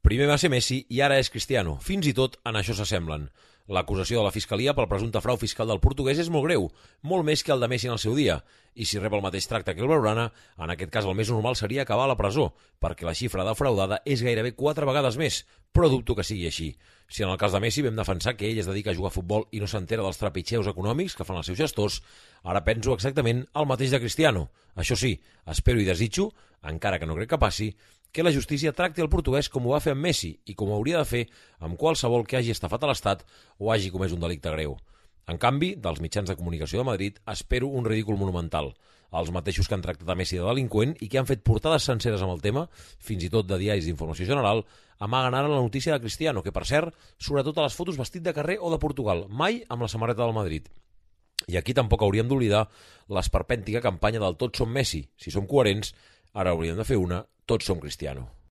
Primer va ser Messi i ara és Cristiano. Fins i tot en això s'assemblen. L'acusació de la Fiscalia pel presumpte frau fiscal del portuguès és molt greu, molt més que el de Messi en el seu dia. I si rep el mateix tracte que el Blaugrana, en aquest cas el més normal seria acabar a la presó, perquè la xifra defraudada és gairebé 4 vegades més, però dubto que sigui així. Si en el cas de Messi vam defensar que ell es dedica a jugar a futbol i no s'entera dels trepitxeus econòmics que fan els seus gestors, ara penso exactament el mateix de Cristiano. Això sí, espero i desitjo, encara que no crec que passi, que la justícia tracti el portuguès com ho va fer amb Messi i com ho hauria de fer amb qualsevol que hagi estafat a l'Estat o hagi comès un delicte greu. En canvi, dels mitjans de comunicació de Madrid espero un ridícul monumental. Els mateixos que han tractat a Messi de delinqüent i que han fet portades senceres amb el tema, fins i tot de diaris d'informació general, amaguen ara la notícia de Cristiano, que per cert, sobretot a les fotos vestit de carrer o de Portugal, mai amb la samarreta del Madrid. I aquí tampoc hauríem d'oblidar l'esperpèntica campanya del Tots som Messi. Si som coherents, ara hauríem de fer una Tots som Cristiano.